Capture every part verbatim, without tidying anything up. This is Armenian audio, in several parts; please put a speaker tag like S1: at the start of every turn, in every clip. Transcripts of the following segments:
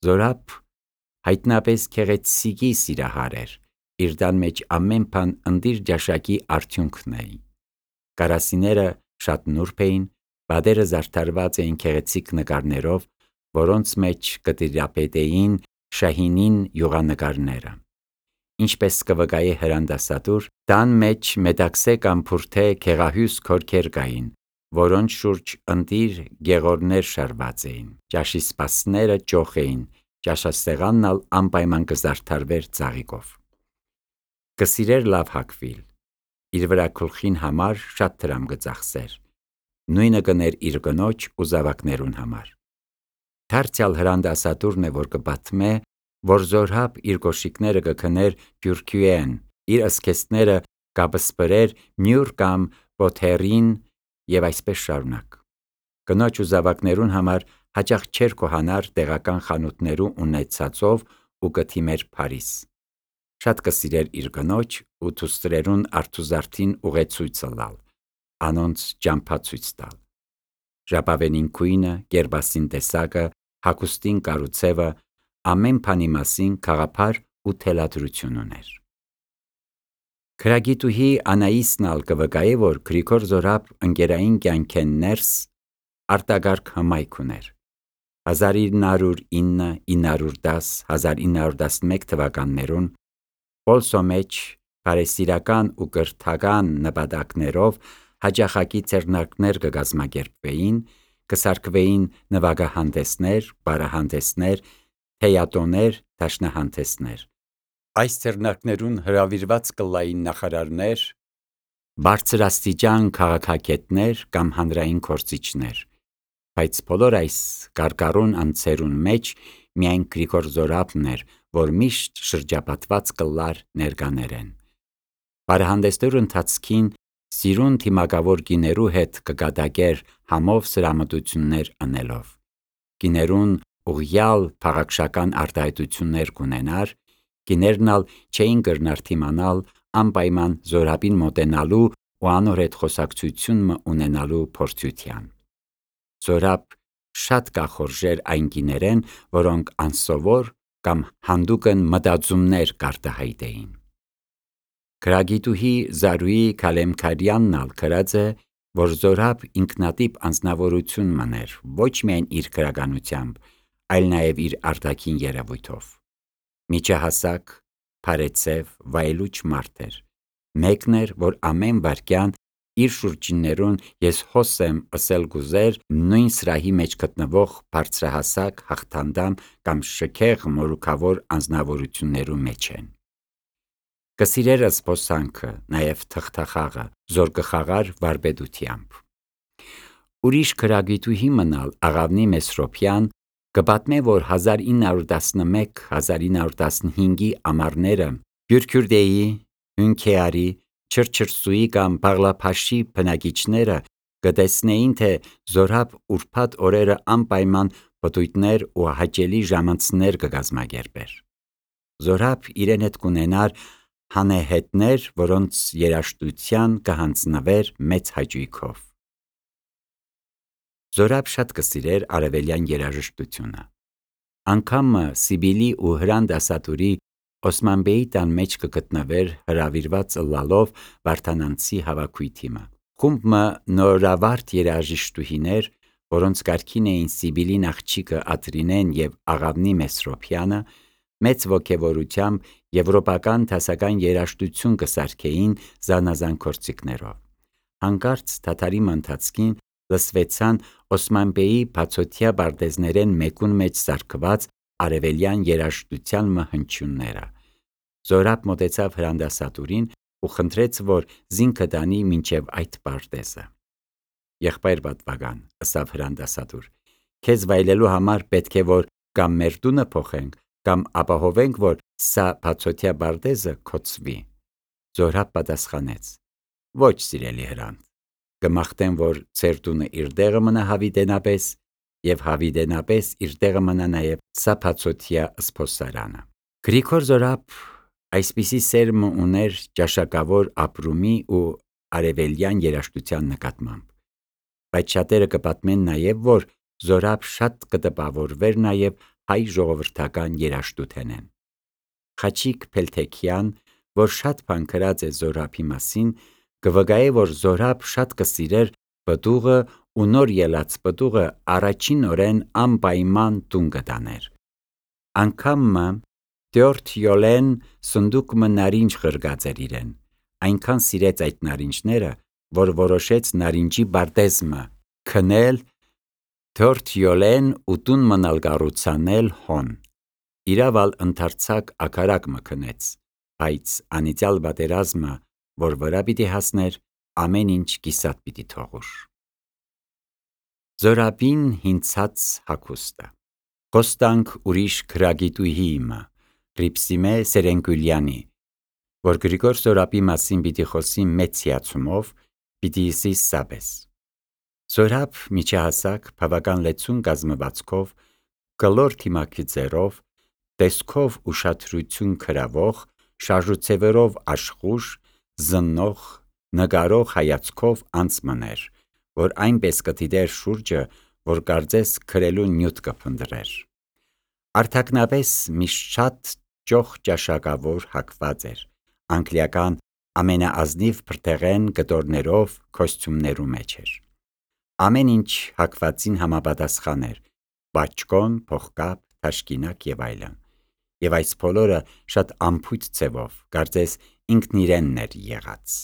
S1: Զորապ հայտնապես քեղեցիկի սիրահար էր, իր տան մեջ ամեն բան ընդիր ճաշակի արդյունքն էին։ Կարասիները շատ նուրբ էին, բադերը զարդարված էին քեղեցիկ նկարներով, որոնց մեջ կտիրապետեին Շահինին յուղանկարները։ Ինչպես կվկայի հրանդասատուր, տան մեջ մետաքսե կամ փուրթե քեղահյուս քորքեր կային, որոնց շուրջ ընտիր գեղորներ շարված էին, ճաշի սպասները ճոխ էին, ճաշասեղանն ալ անպայման կզարդարվեր ծաղիկով։ Կսիրեր լավ հագվիլ, իր վրա գլխին համար շատ դրամ կծախսեր, նույնը կներ իր կնոջ ու զավակներուն համար։ Դարձյալ հրանդասատուրն է, որ կպատմե, որ Զորհաբ իր կոշիկները կքներ բյուրքյուեն, իր ըսքեստները կապսպրեր մյուր կամ պոթերին և այսպես շարունակ։ Կնոջ ու զավակներուն համար հաճախ չէր կոհանար տեղական խանութներու ունեցածով ու կթիմեր Փարիզ։ Շատ կսիրեր իր կնոջ ու դուստրերուն արթուզարդին ուղեցույցը լալ, անոնց ճամփա ցույց տալ։ Ժապավենին քույնը, կերպասին տեսակը, հագուստին կառուցևը, ամեն բանի մասին գաղափար ու թելադրություն ուներ։ Քրագիտուհի Անաիսն ալ կվկայի, որ Գրիգոր Զորապ ընկերային կյանքեն ներս արտագարգ հմայք ուներ։ հազար ինը հարյուր ինը, ինը հարյուր դաս, հազար ինը հարյուր տասնմեկ թվականներուն Պոլսո մեջ բարեսիրական ու կրթական նպատակներով հաճախակի ձեռնարկներ կկազմակերպվեին, կսարքվեին նվագահանդեսներ, պարահանդեսներ, թեյատոներ, դաշնահանդեսներ։ Այս ձեռնարկներուն հրավիրված կլային նախարարներ, բարձրաստիճան քաղաքագետներ կամ հանրային գործիչներ, բայց բոլոր այս կարկառուն անձերուն մեջ միայն Գրիգոր Զորապն էր, որ միշտ շրջապատված կլար ներկաներեն։ Պարահանդեսներու ընթացքին սիրուն թիմակավոր կիներու հետ կկատակեր համով սրամտություններ անելով։ Կիներուն ուղղյալ փաղաքշական արտահայտություններ կունենար, կիներն ալ չէին կրնար թիմանալ անպայման Զորապին մոտենալու ու անոր հետ խոսակցություն ունենալու փորձության։ Զորապ շատ կախորժեր այն կիներեն, որոնք անսովոր կամ հանդուգն մտածումներ կարտահայտեին։ Քրագիտուհի Զարուհի Քալեմքարյանն ալ գրած է, որ Զորապ ինքնատիպ անձնավորություն մներ, ոչ միայն իր գրականությամբ, այլ նաև իր արտաքին երևույթով։ Միջահասակ, փարեցև, վայելուչ մարդ էր։ Մեկն էր, որ ամեն վայրկյան իր շուրջիններուն ես հոս եմ ըսել գուզեր նույն սրահի մեջ գտնվող բարձրահասակ, հաղթանդամ կամ շքեղ մորուքավոր անձնավորություններու մեջ են։ Կսիրեր զբոսանքը, նաև թղթախաղը, զորկխաղար վարպետությամբ։ Ուրիշ քրագիտուհի մնալ Աղավնի Մեսրոպյան կպատմե, որ հազար ինը հարյուր տասնմեկ հազար ինը հարյուր տասնհինգ ամառները Բյուրքյուրդեի, Հյունքեարի, Չրչրսուի կամ Բաղլափաշի բնակիչները կտեսնեին, թե Զորապ ուրբաթ օրերը անպայման պտույտներ ու հաճելի ժամանցներ կկազմակերպեր։ Զորապ իրեն հետ կունենար հանեհետներ, որոնց երաժշտության կհանձնվեր մեծ հաճույքով։ Զորապ շատ կսիրեր արևելյան երաժշտությունը։ Անգամը Սիբիլի ու հրանդասատուրի Օսմանբեի տան մեջ կգտնվեր հրավիրված ըլլալով Վարդանանցի հավաքույթիմը։ Խումբը նորավարդ երաժիշտուհիներ, որոնց կարգին էին Սիբիլին աղջիկը Ադրինեն և Աղավնի Մեսրոպյանը, մեծ ոգևորությամբ եվրոպական դասական երաժշտություն կսարքեին զանազան գործիքներով։ Հանկարծ դադարի ընթացքին լսվեցան Օսմանբեի բացօթյա պարտեզներեն մեկուն մեջ սարքված արևելյան երաժշտության հնչյունները։ Զորապ մոտեցավ հրանդասատուրին ու խնդրեց, որ զինքը տանի մինչև այդ պարտեզը։ Եղբայր պատվական, ըսավ հրանդասատուր, քեզ վայելելու համար պետք է որ կամ մեր տունը փոխենք, կամ ապահովենք, որ սա բացօթյա պարտեզը կոծվի։ Զորապ պատասխանեց. Ոչ, սիրելի հրանտ, կմաղթեմ, որ ձեր տունը իր տեղը մնա հավիտենապես, և հավիտենապես իր տեղը մնա նաև սա բացօթյա զբոսարանը։ Գրիգոր Զորապ այսպիսի սերմ ուներ ճաշակավոր ապրումի ու արևելյան երաժշտության նկատմամբ, բայց շատերը կպատմեն նաև, որ Զորապ շատ կտպավորվեր նաև հայ ժողովրդական երաժշտութենեն։ Խաչիկ Փելթեքյան, որ շատ բան գրած է Զորաբի մասին, կվգայե, որ Զորաբ շատ կսիրեր պտուղը ու նոր ելած պտուղը առաջին օրեն անպայման տուն կտաներ։ Անգամ մը տյորթ յոլեն սնդուկ մը նարինջ խրգած էր իրեն, այնքան սիրեց այդ նարինջները, որ որոշեց նարինջի բարտեզմը քնել տյորթ յոլեն ու տուն մնալ կառուցանել հոն։ Իրավալ ընդարձակ ակարակ մը քնեց, բայց անիծյալ պատերազմը, որ վրա պիտի հասներ, ամեն ինչ կիսատ պիտի թողուր։ Զորաբին հինցած հագուստը։ Խոստանք ուրիշ գրագիտուհի իմը, Ռիփսիմե Սերենգուլյանի, որ Գրիգոր Զորաբի մասին պիտի խոսի մեծ հիացումով, պիտի իսի սաբես։ Զորաբ միջահասակ բավական լեցուն կազմվածքով, կլոր թիմակիցերով, տեսքով ուշադրություն գրավող, շարժուձևերով աշխուժ, զննող, նկարող հայացքով անցմներ, որ այնպես կդիտեր շուրջը, որ կարծես գրելու նյութ կփնտրեր։ Արտաքնապես միշտ շատ ճոխ ճաշակավոր հագված էր, անգլիական ամենաազնիվ բրդեղեն կտորներով կոստյումներու մեջ էր։ Ամեն ինչ հագվածին համապատասխան էր, բաճկոն, փողկապ, թաշկինակ եւ այլն, եւ այս բոլորը շատ անփույթ ձևով, կարծես ինքն իրենն էր եղած։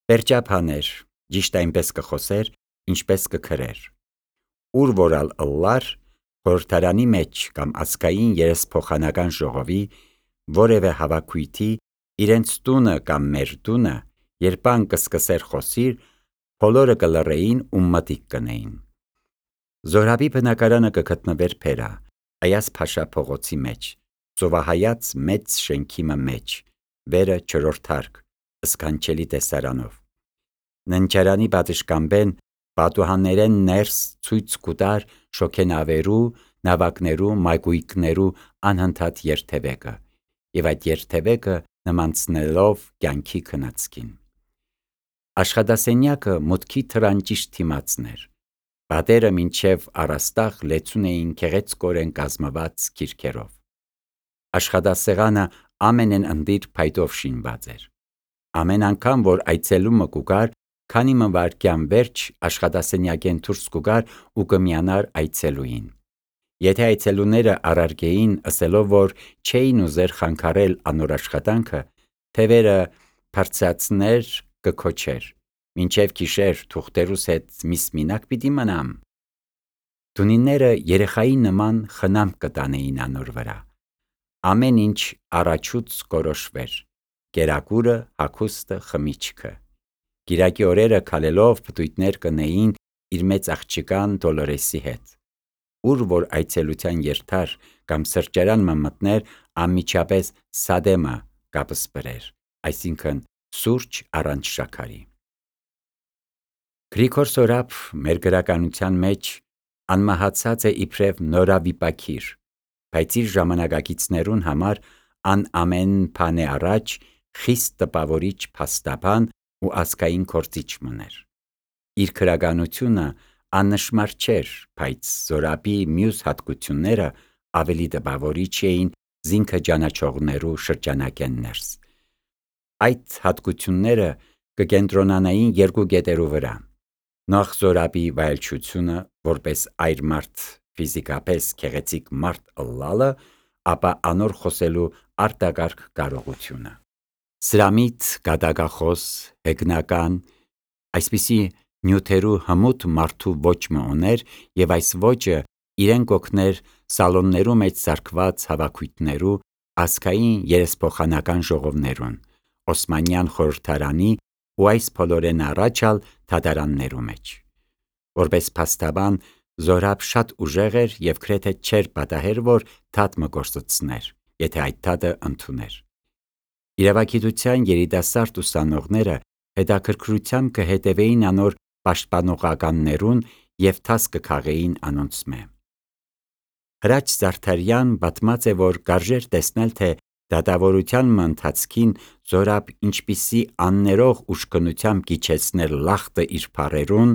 S1: Պերճապաներ, ճիշտ այնպես կխոսեր, ինչպես կգրեր։ Ուր որալ ըլլար, խորհրդարանի մեջ կամ ազգային երեսփոխանական ժողովի, որևէ հավաքույթի, իրենց տունը կամ մեր տունը, երբ ան կսկսեր խոսիր, բոլորը կլռեին ու մտիկ կնեին։ Զորաբի բնակարանը կգտնվեր Փերա, Այազ Փաշա փողոցի մեջ, ծովահայաց մեծ շենքի մեջ, վերը չորրորդ հարկ, սքանչելի տեսարանով։ Ննջարանի պատշգամբեն պատուհաններեն ներս ցույց կուտար շոգենավերու, նավակներու, մայգույքներու անհնդհատ երթևեկը, եւ այդ երթևեկը նմանցնելով կյանքի քնածքին։ Աշխատասենյակը մուտքի թռանճիշտ թիմացն էր, պատերը մինչև առաստաղ լեցուն էին գեղեցկորեն կազմված քիրքերով։ Աշխատասեղանը ամենեն ընդիր փայտով շինված էր։ Ամեն անգամ, որ այցելումը կուգար, քանի մը վայրկյան վերջ աշխատասենյակեն դուրս կուգար ու կմիանար այցելուին։ Եթե այցելուները առարգեին, ըսելով, որ չէին ուզեր խանգարել անոր աշխատանքը, թևերը բարձրացներ կքոչեր, մինչև գիշեր թուղթերուս հետ միս մինակ պիտի մնամ։ Տունինները երեխայի նման խնամք կտանեին անոր վրա։ Ամեն ինչ առաջուց կորոշվեր, կերակուրը, հագուստը, խմիչքը։ Կիրակի օրերը քալելով պտույտներ կնեին իր մեծ աղջիկան Դոլորեսի հետ։ Ուր որ այցելության երթար կամ սրճարան մը մտներ, անմիջապես սադեմը կապսպրեր, այսինքն սուրճ առանց շաքարի։ Գրիգոր Զորաբ մեր գրականության մեջ անմահացած է իբրև նորավիպակիր, բայց իր ժամանակակիցներուն համար ան ամեն բանի առաջ խիստ տպավորիչ փաստաբան ու ազգային գործիչ մներ։ Իր գրականությունը աննշմար չէր, բայց Զորաբի մյուս հատկությունները ավելի տպավորիչ էին զինքը ճանաչողներու շրջանակեն ներս։ Այդ հատկությունները կկենտրոնանային երկու կետերու վրա։ Նախ Զորաբի վայելչությունը, որպես այր մարդ ֆիզիկապես գեղեցիկ մարդ ըլլալը, ապա անոր խոսելու արտակարգ կարողությունը։ Սրամիտ, գադակախոս, հեգնական, այսպիսի նյութերու հմուտ մարդու ոճ մը ուներ, եւ այս ոճը իրեն կօգներ սալոններու մեջ սարքված հավաքույթներու, ազգային երեսփոխանական ժողովներուն, Օսմանյան խորհրդարանի ու այս բոլորեն առաջալ թադարաններու մեջ։ Որպես փաստաբան Զորաբ շատ ուժեղ էր եւ գրեթե չէր պատահեր, որ թաթ մը գործծներ, եթե այդ թաթը ընդուներ։ Իրավագիտության երիտասարդ ուսանողները հետաքրքրությամբ կհետևեին անոր պաշտպանողականներուն եւ թաս կքաղեին անոնցմե։ Հրաչ Զարդարյան պատմած է, որ կարժեր տեսնել, թե դատավորության ընթացքին Զորաբ ինչպիսի աններող ուշքնությամբ կիչեցներ լախտը իր փարերուն,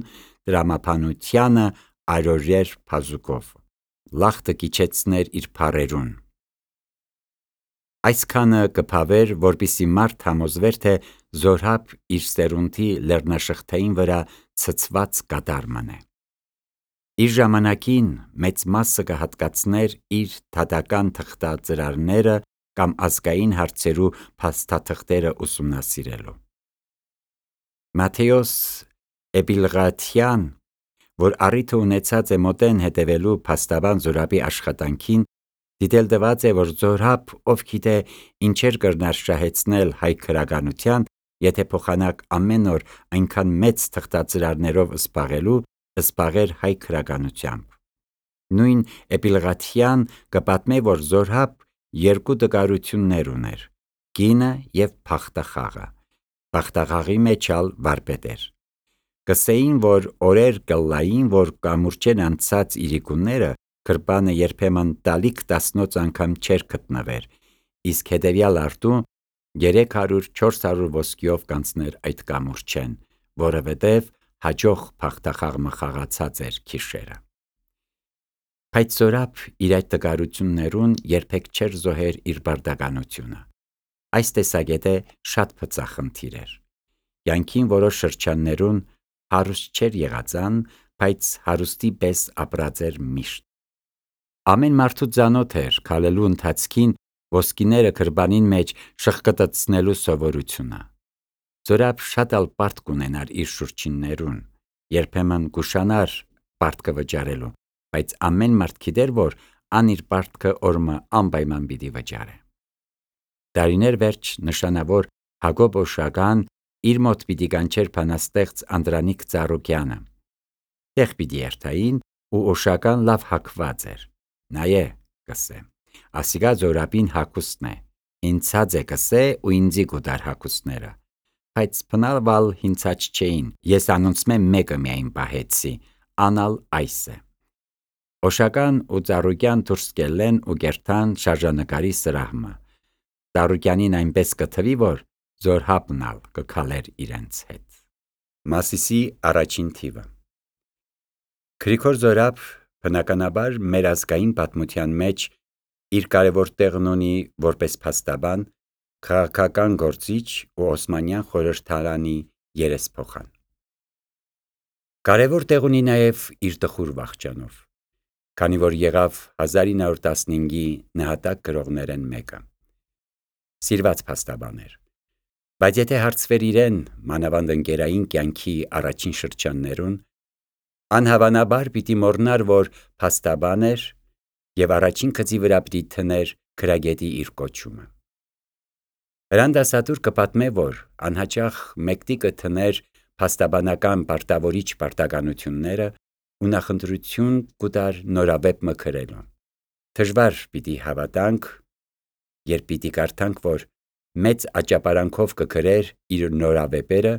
S1: դրամապանությանը այրորյեր փազուկով։ լախտը կիչեցներ իր փարերուն։ Այսքանը կփավեր, որպիսի մարդ համոզվեր, թե Զորհաբ իր սերունդի լեռնաշղթային վրա ցցված կատար մնե։ Իր ժամանակին մեծ մասը կհատկացներ իր թադական թղթածրարները կամ ազգային հարցերու փաստաթղթերը ուսումնասիրելու։ Մատթեոս Էպիլղաթյան, որ առիթը ունեցած է մոտեն հետևելու փաստաբան Զորհաբի աշխատանքին, դիտել տված է, որ Զորհաբ, ով գիտե ինչեր կրնար շահեցնել հայ քրագանության, եթե փոխանակ ամեն օր այնքան մեծ թղթածրարներով զբաղելու, զբաղեր հայ քրագանությամբ։ Նույն Էպիլղաթյան կպատմե, որ Զորհաբ երկու տկարություններ ուներ՝ կինը և փախտախաղը։ Փախտախաղի մեջ ալ վարպետ էր։ Կսեին, որ օրեր կլային, որ կամուրջեն անցած իրիկունները քրպանը երբեմն տալիք տասնոց անգամ չէր գտնվեր, իսկ հետևյալ արդու երեք հարյուր չորս հարյուր ոսկիով կանցներ այդ կամուրջեն, որովհետև հաջող փախտախաղը խաղացած էր քիշերը։ Բայց Զորհաբ իր այդ տկարություններուն երբեք չէր զոհեր իր բարդականությունը։ Այս տեսակետը շատ փծախնդիր էր։ Յանքին որոշ շրջաններուն հարուստ չէր եղածան, բայց հարուստի պես ապրած էր միշտ։ Ամեն մարդու ծանոթ էր քալելու ընթացքին ոսկիները քրբանին մեջ շխկտցնելու սովորությունը։ Զորհաբ շատ ալ պարտք կունենար իր շուրջիններուն, երբեմն կուշանար պարտքը վճարելու, բայց ամեն մարդ գիտեր, որ ան իր պարտքը օրմը անպայման պիտի վճարե։ Տարիներ վերջ նշանավոր Հակոբ Օշական իր մոտ պիտի կանչեր բանաստեղծ Անդրանիկ Ծառուկյանը։ Տեղ պիտի երթային ու Օշական լավ հագված էր։ Նայե, կսե, ասիկա Զորհաբին հագուստն է, հինցած է կսե ու ինձի գուտար հագուստները, բայց փնալվալ հինցած չէին, ես անոնցմե մեկը միայն պահեցի, անալ այս է։ Օշական ու Ծառուկյան դուրս կելեն ու կերթան շարժանկարի սրահմը։ Ծառուկյանին այնպես կթվի, որ Զորհաբն ալ կքալեր իրենց հետ։ Մասիսի առաջին թիվը։ Գրիգոր Զորհաբ բնականաբար մեր ազգային պատմության մեջ իր կարևոր տեղն ունի որպես փաստաբան, քաղաքական գործիչ ու Օսմանյան խորհրդարանի երեսփոխան։ Կարևոր տեղ ունի նաև իր տխուր վախճանով, քանի որ եղավ հազար ինը հարյուր տասնհինգի նահատակ գրողներեն մեկը։ Սիրված փաստաբան էր, բայց եթե հարցվեր իրեն մանավանդ ընկերային կյանքի առաջին շրջաններուն, անհավանաբար պիտի մոռնար, որ փաստաբան էր և առաջին գծի վրա պիտի դներ գրագետի իր կոչումը։ Հրան դասադուլ կպատմե, որ անհաճախ մեկտիկը դներ փաստաբանական պարտավորիչ պարտականությունները ու նախընտրություն կուտար նորավեպ մգրելու։ Դժվար պիտի հավատանք, երբ պիտի կարդանք, որ մեծ աճապարանքով կգրեր իր նորավեպերը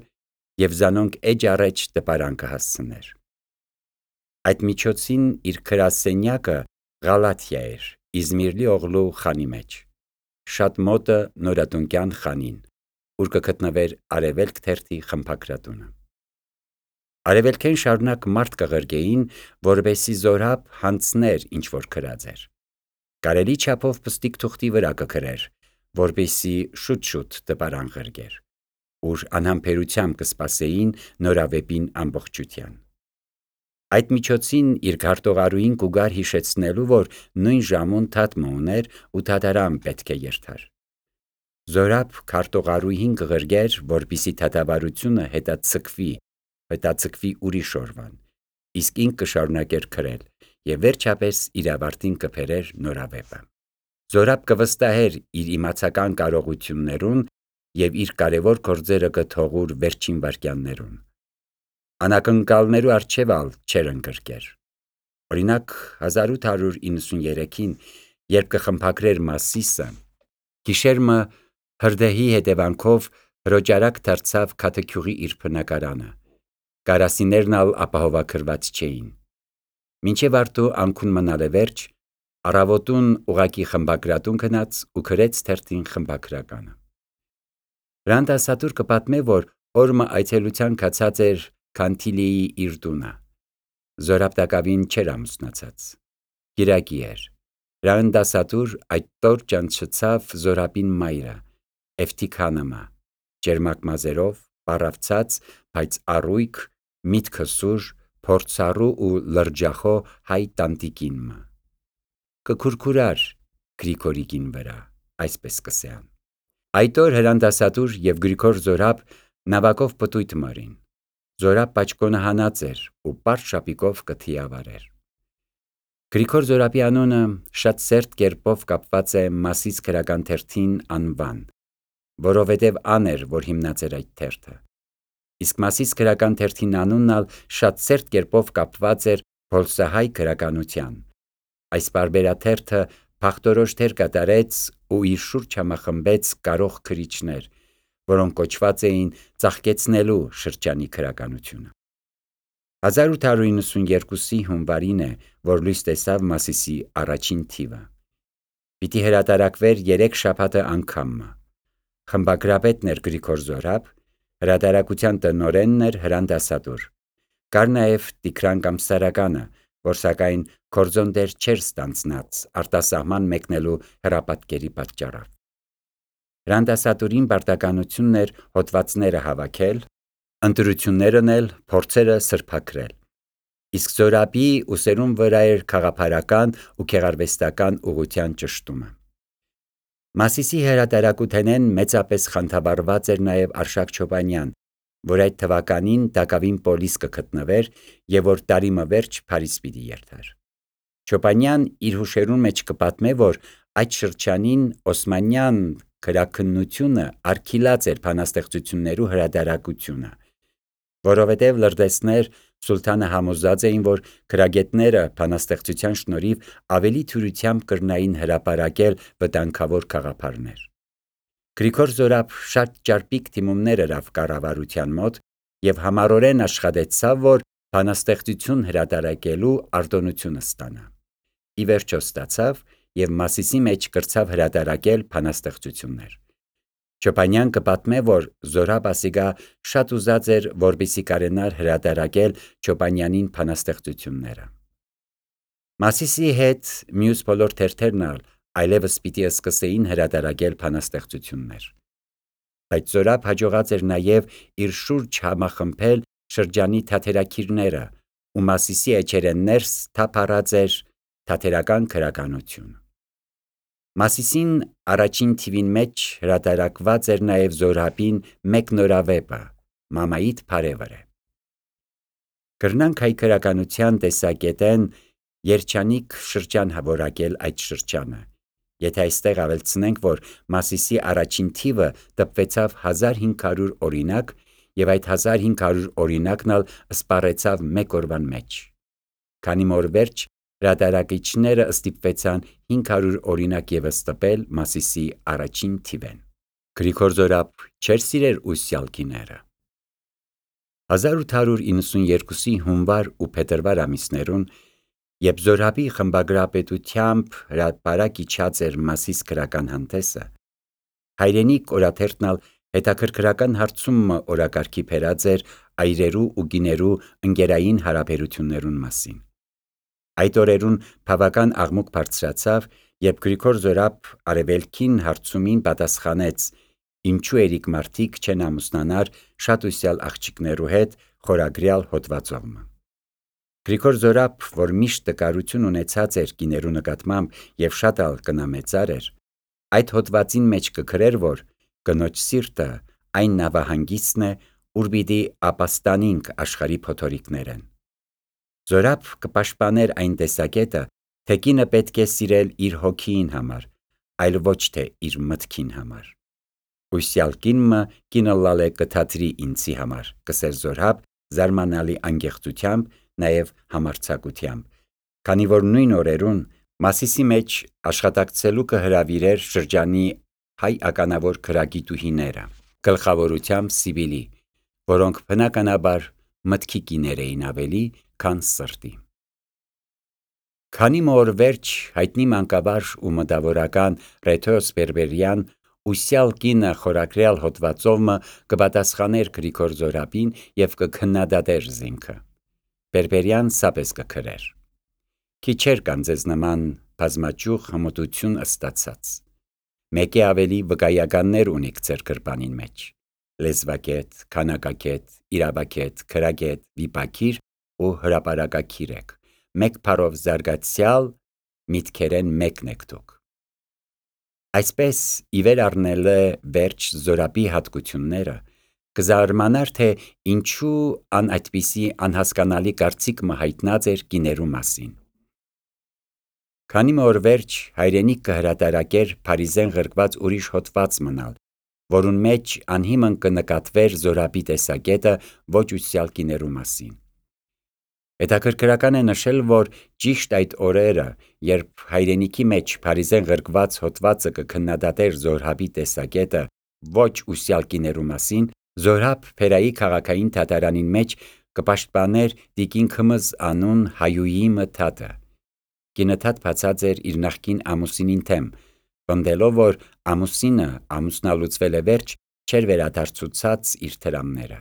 S1: և զանոնք էջ առաջ տպարան կհասցներ։ Այդ միջոցին իր գրասենյակը Ղալաթիա էր, Իզմիրլի օղլու խանի մեջ, շատ մոտը Նորատունկյան խանին, ուր կգտնվեր Արևելք թերթի խմբագրատունը։ Արևելքեն շարունակ մարդ կղրկեին, որպեսզի Զորհաբ հանձներ ինչ որ գրած էր։ Կարելի չափով պստիկ թուղթի վրա կգրեր, որպեսզի շուտ-շուտ տպարան ղրկեր, ուր անհամբերությամբ կսպասեին նորավեպին ամբողջության։ Այդ միջոցին իր քարտուղարուհին կուգար հիշեցնելու, որ նույն ժամուն թատմը ուներ ու թատարան պետք է երթար։ Զորհաբ քարտուղարուհին կղրկեր, որպեսզի թատավարությունը հետաձգվի, հետաձգվի ուրիշ օրվան, իսկ ինք կշարունակեր գրել և վերջապես իր ավարտին կբերեր նորավեպը։ Զորհաբ կվստահեր իր իմացական կարողություններուն և իր կարևոր գործերը կթողուր վերջին վայրկյաններուն։ Անակնկալներու առջև ալ չէր ընկրկեր։ Օրինակ հազար ութ հարյուր իննսուներեքին, երբ կխմբագրեր Մասիսը, գիշերմը հրդեհի հետևանքով հրոճարակ դարձավ Քաթեքյուղի իր բնակարանը, կարասիներն ալ ապահովագրված չէին։ Մինչև արդու անքուն մնալ է վերջ, առավոտուն ուղակի խմբագրատուն գնաց ու գրեց թերթին խմբագրականը։ Հրան դասադուլ կպատմե, որ օրմը այցելության գացած էր Քանթիլիի իր տունը։ Զորհաբ տակավին չէր ամուսնացած։ գիրակի էր։ Ռանդասատուր այդ տոր ճանչցավ Զորաբին մայրը, Էվտիքանըմը, ջերմակ մազերով, պարավցած, բայց առույգ, միտքը սուր, փորձառու ու լրջախո հայ տանտիկինմը։ Կքուրքուրար Գրիգորիկին վրա, այսպես կսեան։ Այդ օր Հրանդասատուր և Գրիգոր Զորաբ նավակով պտույտ մարին։ Զորաբ պաճկոնը հանած էր ու պարզ շապիկով կթիավարեր։ Գրիգոր Զորաբի անունը շատ սերտ կերպով կապված է Մասիս գրական թերթին անվան, որովհետև ան էր, որ հիմնած էր այդ թերթը։ Իսկ Մասիս գրական թերթին անունն ալ շատ սերտ կերպով կապված էր փոլսահայ գրականության։ Այս պարբերաթերթը փախտորոշ դեր կատարեց ու իր շուրջ համախմբեց կարող քրիչներ, որոնք կոչված էին ծաղկեցնելու շրջանի գրականությունը։ հազար ութ հարյուր նվաթ հունվարին է, որ լույս տեսավ Մասիսի առաջին թիվը։ Պիտի հրատարակվեր երեք շաբաթը անգամը։ Խմբագրապետն էր Գրիգոր Զորաբ, հրատարակության տնօրենն էր Հրանդասատուր։ Կար նաև Տիգրան Կամսարականը, որ սակայն կորձոն դեր չէր ստանձնած արտասահման մեկնելու հրապատկերի պատճառով։ Հրանդասատուրին պարտականությունն էր հոդվածները հավաքել, ընտրություններն էլ փորձերը սրբաքրել։ Իսկ Զորաբի ուսերուն վրա էր քաղաքապարական ու գեղարվեստական ուղղության ճշտումը։ Մասիսի հրատարակութենեն մեծապես խանդավառված էր նաև Արշակ Չոբանյան, որ այդ թվականին Դակավին պոլիս կգտնվեր և որ տարիմը վերջ Փարիզ պիտի երթար։ Չոբանյան իր հուշերուն մեջ կպատմե, որ այդ շրջանին Օսմանյան գրաքննությունը արգիլած էր բանաստեղծություններու հրատարակությունը, որովհետև լրտեսներ Սուլթանը համոզած էին, որ գրագետները բանաստեղծության շնորհիվ ավելի թյուրությամբ կրնային հրապարակել վտանգավոր գաղափարներ։ Գրիգոր Զորաբ շատ ճարպիկ դիմումներ ըրավ կառավարության մոտ և համառորեն աշխատեցավ, որ բանաստեղծություն հրատարակելու արտոնությունը ստանա։ Ի վերջո ստացավ և Մասիսի մեջ կրցավ հրատարակել բանաստեղծություններ։ Չոբանյան կպատմե, որ Զորաբ ասիկա շատ ուզած էր, որպեսզի կարենար հրատարակել Չոբանյանին բանաստեղծությունները։ Մասիսի հետ մյուս բոլոր թերթերն ալ այլևս պիտի սկսեին հրատարակել բանաստեղծություններ։ Բայց Զորաբ հաջողած էր նաև իր շուրջ համախմբել շրջանի թատերագիրները ու Մասիսի էջերեն ներս թափառած էր թատերական գրականություն։ Մասիսին առաջին թիվին մեջ հրատարակված էր նաև Զորաբին մեկ նորավեպը՝ Մամայիդ փարևը։ Կրնանք հայ գրականության տեսակետեն երջանիկ շրջան որակել այդ շրջանը, եթե այստեղ ավելցնենք, որ Մասիսի առաջին թիվը տպվեցավ հազար հինգ հարյուր օրինակ և այդ հազար հինգ հարյուր օրինակն ալ սպառեցավ մեկ օրվան մեջ։ Քանի որ վերջ հրատարակիչները ստիպվեցան հինգ հարյուր օրինակ ևս տպել Մասիսի առաջին թիվեն։ Գրիգոր Զորաբ չէր սիրեր ուսյալ գիները։ հազար ութ հարյուր նվաթ հունվար ու փետրվար ամիսներուն, երբ Զորաբի խմբագրապետությամբ հրապարակ իջած էր Մասիս գրական հանդեսը, հայրենիք օրաթերթն ալ հետաքրքրական հարցումը օրակարգի բերած էր այրերու ու գիներու ընկերային հարաբերություններուն մասին։ Այդ օրերուն բավական աղմուկ բարձրացավ, երբ Գրիգոր Զորաբ արևելքին հարցումին պատասխանեց. «Ինչու երիկ մարդիկ չեն ամուսնանար շատ ուսյալ աղջիկներու հետ» խորագրյալ հոդվածովը։ Գրիգոր Զորաբ, որ միշտ տկարություն ունեցած էր գիներու նկատմամբ և շատ ալ կնամեծար էր, այդ հոդվածին մեջ կգրեր, որ կնոջ սիրտը այն նավահանգիստն է, ուր պիտի ապաստանինք աշխարհի փոթորիկներեն։ Զորաբ կպաշտպաներ այն տեսակետը, թե կինը պետք է սիրել իր հոգիին համար, այլ ոչ թե իր մտքին համար։ «Ուսյալ կինը կինը լալե կթատրի ինձի համար», կսեր Զորաբ զարմանալի անկեղծությամբ, նաև համարձակությամբ, քանի որ նույն օրերուն Մասիսի մեջ աշխատակցելու կհրավիրեր շրջանի հայ ականավոր գրագիտուհիները, գլխավորությամբ Սիբիլի, որոնք բնականաբար մտքի կիներ էին ավելի, քան սրտի։ Քանի օր վերջ հայտնի մանկաբար ու մտավորական Ռեթոս Բերբերյան «Ուսյալ կինը» խորագրյալ հոդվածովը կպատասխաներ Գրիգոր Զորաբին և կքննադատեր զինքը։ Բերբերյան սապես կգրեր. Քիչեր կան ձեզ նման բազմաճյուղ հմտություն ստացած։ Մեկի ավելի վկայականներ ունիք ձեր գրպանին մեջ. լեզվակետ, քանակակետ, իրավակետ, քրագետ, վիպակիր ու հրապարակակիր եք։ Մեկ փարով զարգացյալ միտքերեն մեկն եք դուք։ Այսպես իվեր առնել է վերջ Զորաբի հատկությունները, կզարմանար, թե ինչու ան այդպիսի անհասկանալի կարծիք մը հայտնած էր կիներու մասին։ Քանի մը օր վերջ հայրենիք կհրատարակեր փարիզեն ղրկված ուրիշ հոդված մնալ, որուն մեջ անհիմն կնկատվեր Զորաբի տեսակետը ոչ ուսյալ կիներու մասին։ Հետաքրքրական է նշել, որ ճիշտ այդ օրերը, երբ հայրենիքի մեջ փարիզեն ղրկված հոդվածը կքննադատեր Զորաբի տեսակետը ոչ ուսյալ կիներու մասին, Զորաբ Փերայի քաղաքային թատրոնին մեջ կպաշտպաներ տիկին Քմզ անուն հայուհի մթատը։ Կինը թաթ բացած էր իր նախկին ամուսինին թեմ, պնդելով, որ ամուսինը ամուսնալուծվել է վերջ, չէր վերադարձուցած իր թրամները։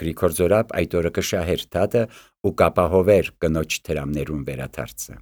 S1: Գրիգոր Զորաբ այդ օրը կշահեր թաթը ու կապահովեր կնոջ թրամներուն վերադարձը։